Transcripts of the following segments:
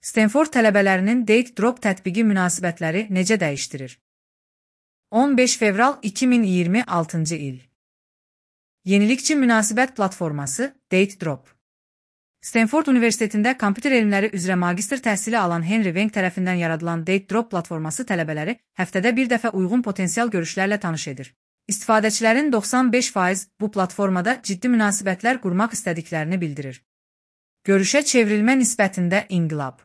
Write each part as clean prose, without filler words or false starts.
Stanford tələbələrinin Date Drop tətbiqi münasibətləri necə dəyişdirir? 15 fevral 2026-cı il. Yenilikçi münasibət platforması Date Drop. Stanford Universitetində kompüter elmləri üzrə magistr təhsili alan Henry Wang tərəfindən yaradılan Date Drop platforması tələbələri həftədə bir dəfə uyğun potensial görüşlərlə tanış edir. İstifadəçilərin 95% bu platformada ciddi münasibətlər qurmaq istədiklərini bildirir. Görüşə çevrilmə nisbətində inqilab.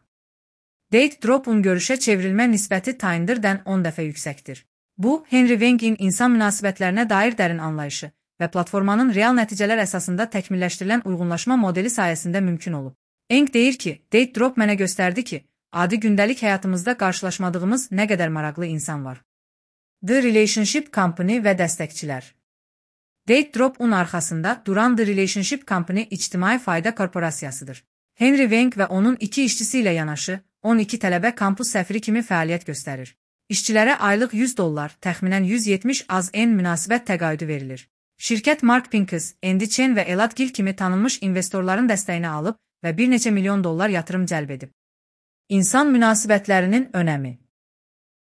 Date Drop'un görüşə çevrilmə nisbəti Tinder'dən 10 dəfə yüksəkdir. Bu, Henry Wang'in insan münasibətlərinə dair dərin anlayışı və platformanın real nəticələr əsasında təkmilləşdirilən uyğunlaşma modeli sayəsində mümkün olub. Wang deyir ki, Date Drop mənə göstərdi ki, adi gündəlik həyatımızda qarşılaşmadığımız nə qədər maraqlı insan var. The Relationship Company və dəstəkçilər. Date Drop'un arxasında duran The Relationship Company ictimai fayda korporasiyasıdır. Henry Wang və onun 2 işçisi ilə yanaşı 12 tələbə kampus səfiri kimi fəaliyyət göstərir. İşçilərə aylıq $100, təxminən 170 AZN münasibət təqaüdü verilir. Şirkət Mark Pincus, Andy Chen və Elad Gil kimi tanınmış investorların dəstəyini alıb və bir neçə milyon dollar yatırım cəlb edib. İnsan münasibətlərinin önəmi.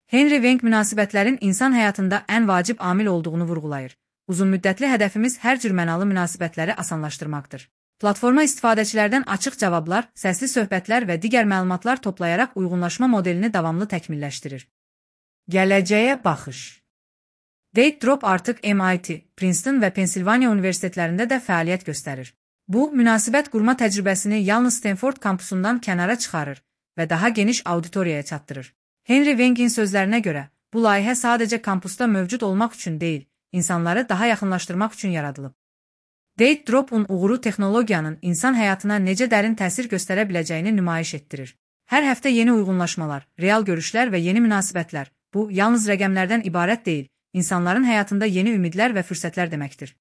Henry Wang münasibətlərin insan həyatında ən vacib amil olduğunu vurğulayır. Uzunmüddətli hədəfimiz hər cür mənalı münasibətləri asanlaşdırmaqdır. Platforma istifadəçilərdən açıq cavablar, səsli söhbətlər və digər məlumatlar toplayaraq uyğunlaşma modelini davamlı təkmilləşdirir. Gələcəyə baxış. Date Drop artıq MIT, Princeton və Pensilvaniya universitetlərində də fəaliyyət göstərir. Bu, münasibət qurma təcrübəsini yalnız Stanford kampusundan kənara çıxarır və daha geniş auditoriyaya çatdırır. Henry Wang'in sözlərinə görə, bu layihə sadəcə kampusda mövcud olmaq üçün deyil, insanları daha yaxınlaşdırmaq üçün yaradılıb. Date Drop'un uğuru texnologiyanın insan həyatına necə dərin təsir göstərə biləcəyini nümayiş etdirir. Hər həftə yeni uyğunlaşmalar, real görüşlər və yeni münasibətlər, bu, yalnız rəqəmlərdən ibarət deyil, insanların həyatında yeni ümidlər və fürsətlər deməkdir.